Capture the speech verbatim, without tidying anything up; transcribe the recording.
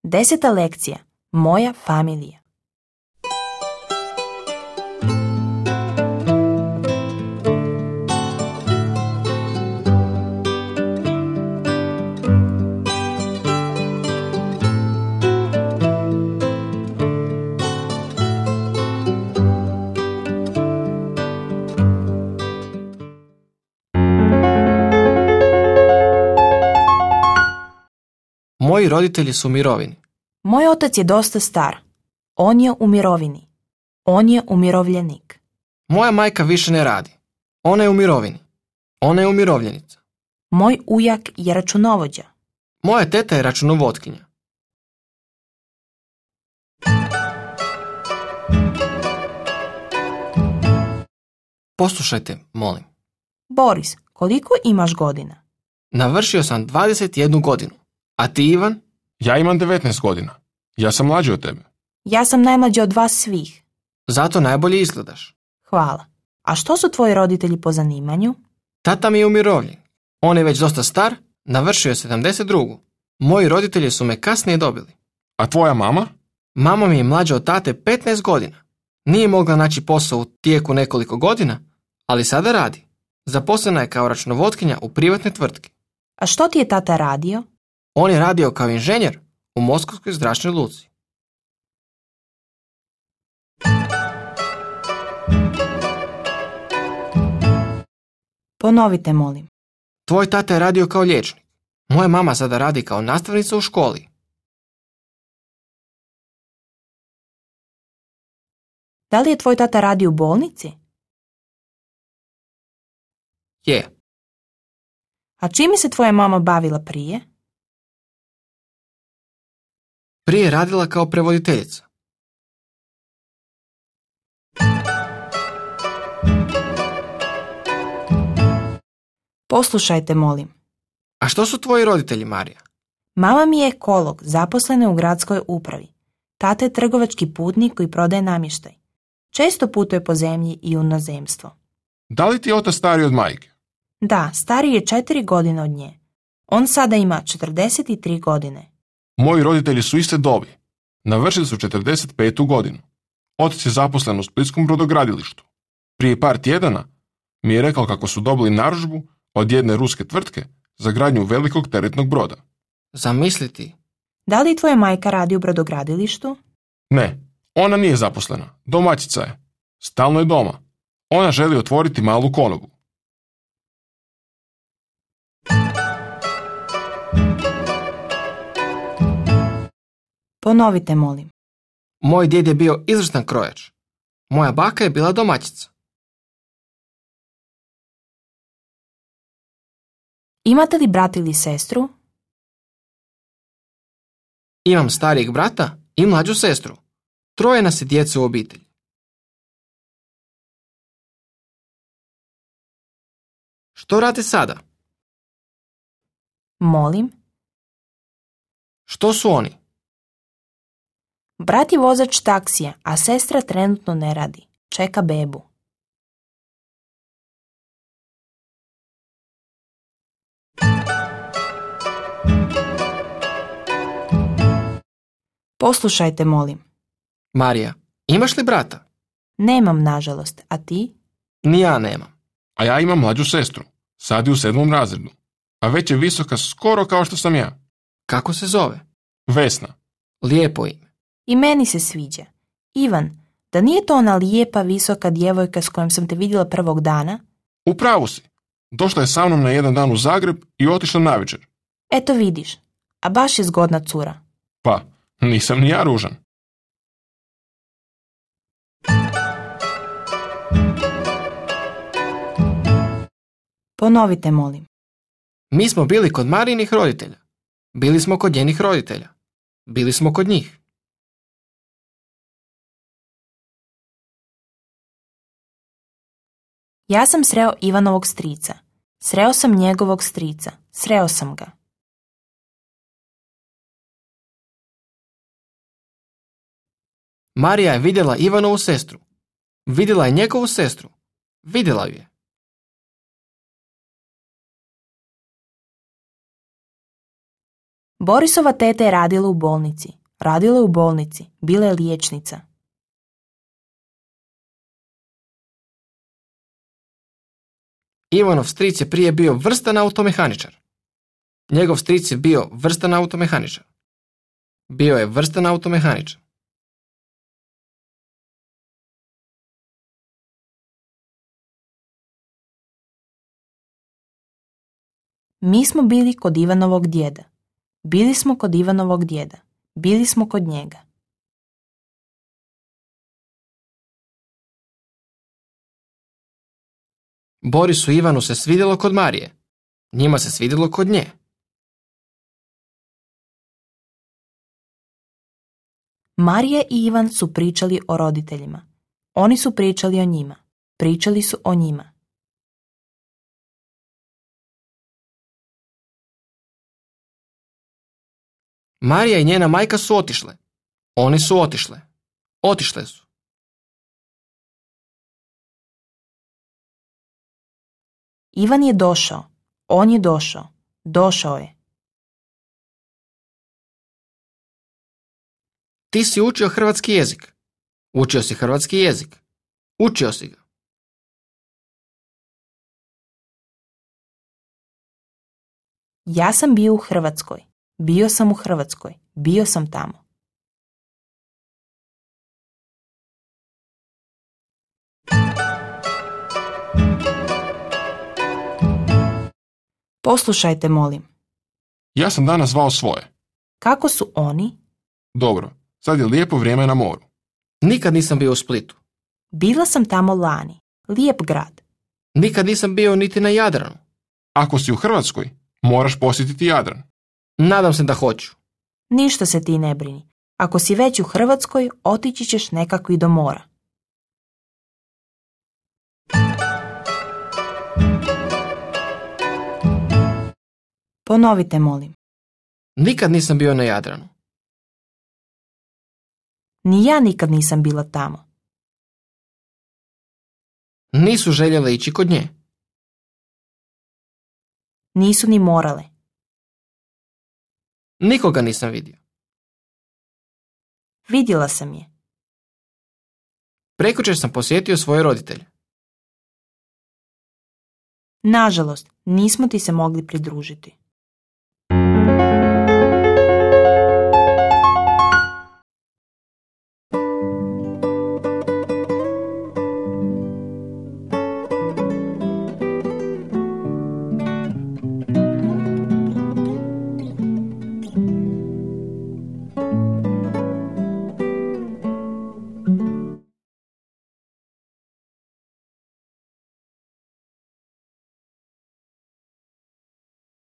Deseta lekcija. Moja familija. Moji roditelji su u mirovini. Moj otac je dosta star. On je u mirovini. On je umirovljenik. Moja majka više ne radi. Ona je u mirovini. Ona je umirovljenica. Moj ujak je računovođa. Moja teta je računovotkinja. Poslušajte, molim. Boris, koliko imaš godina? Navršio sam dvadeset jednu godinu. A ti, Ivan? Ja imam devetnaest godina. Ja sam mlađi od tebe. Ja sam najmlađa od vas svih. Zato najbolje izgledaš. Hvala. A što su tvoji roditelji po zanimanju? Tata mi je umirovljen. On je već dosta star, navršio je sedamdeset drugu. Moji roditelji su me kasnije dobili. A tvoja mama? Mama mi je mlađa od tate petnaest godina. Nije mogla naći posao u tijeku nekoliko godina, ali sada radi. Zaposlena je kao računovotkinja u privatnoj tvrtki. A što ti je tata radio? On je radio kao inženjer u Moskovskoj zračnoj luci. Ponovite, molim. Tvoj tata je radio kao liječnik. Moja mama sada radi kao nastavnica u školi. Da li je tvoj tata radio u bolnici? Je. A čime se tvoja mama bavila prije? Prije je radila kao prevoditeljica. Poslušajte, molim. A što su tvoji roditelji, Marija? Mama mi je ekolog, zaposlena u gradskoj upravi. Tata je trgovački putnik koji prodaje namještaj. Često putuje po zemlji i u inozemstvo. Da li ti je otac stariji od majke? Da, stariji je četiri godine od nje. On sada ima četrdeset tri godine. Moji roditelji su iste dobi. Navršili su četrdeset petu godinu. Otac je zaposlen u splitskom brodogradilištu. Prije par tjedana mi je rekao kako su dobili narudžbu od jedne ruske tvrtke za gradnju velikog teretnog broda. Zamisliti. Da li tvoja majka radi u brodogradilištu? Ne, ona nije zaposlena. Domaćica je. Stalno je doma. Ona želi otvoriti malu konobu. Ponovite, molim. Moj djed je bio izvrstan krojač. Moja baka je bila domaćica. Imate li brata ili sestru? Imam starijeg brata i mlađu sestru. Troje nas je djece u obitelji. Što radi sada? Molim. Što su oni? Brat je vozač taksija, a sestra trenutno ne radi. Čeka bebu. Poslušajte, molim. Marija, imaš li brata? Nemam, nažalost. A ti? Ni ja nemam. A ja imam mlađu sestru. Sad je u sedmom razredu. A već je visoka skoro kao što sam ja. Kako se zove? Vesna. Lijepo ime. I meni se sviđa. Ivan, da nije to ona lijepa, visoka djevojka s kojom sam te vidjela prvog dana? U pravu si. Došla je sa mnom na jedan dan u Zagreb i otišla navečer. Eto vidiš, a baš je zgodna cura. Pa, nisam ni ja ružan. Ponovite, molim. Mi smo bili kod Marijinih roditelja. Bili smo kod njenih roditelja. Bili smo kod njih. Ja sam sreo Ivanovog strica. Sreo sam njegovog strica. Sreo sam ga. Marija je vidjela Ivanovu sestru. Vidjela je njegovu sestru. Vidjela ju je. Borisova teta je radila u bolnici. Radila je u bolnici, bila je liječnica. Ivanov stric je prije bio vrstan automehaničar. Njegov stric je bio vrstan automehaničar. Bio je vrstan automehaničar. Mi smo bili kod Ivanovog djeda. Bili smo kod Ivanovog djeda. Bili smo kod njega. Borisu i Ivanu se svidjelo kod Marije. Njima se svidjelo kod nje. Marija i Ivan su pričali o roditeljima. Oni su pričali o njima. Pričali su o njima. Marija i njena majka su otišle. Oni su otišle. Otišle su. Ivan je došao. On je došao. Došao je. Ti si učio hrvatski jezik. Učio si hrvatski jezik. Učio si ga. Ja sam bio u Hrvatskoj. Bio sam u Hrvatskoj. Bio sam tamo. Poslušajte, molim. Ja sam danas zvao svoje. Kako su oni? Dobro, sad je lijepo vrijeme na moru. Nikad nisam bio u Splitu. Bila sam tamo lani. Lijep grad. Nikad nisam bio niti na Jadranu. Ako si u Hrvatskoj, moraš posjetiti Jadran. Nadam se da hoću. Ništa se ti ne brini. Ako si već u Hrvatskoj, otići ćeš nekako i do mora. Ponovite, molim. Nikad nisam bio na Jadranu. Ni ja nikad nisam bila tamo. Nisu željele ići kod nje. Nisu ni morale. Nikoga nisam vidio. Vidjela sam je. Prekjučer sam posjetio svoje roditelje. Nažalost, nismo ti se mogli pridružiti.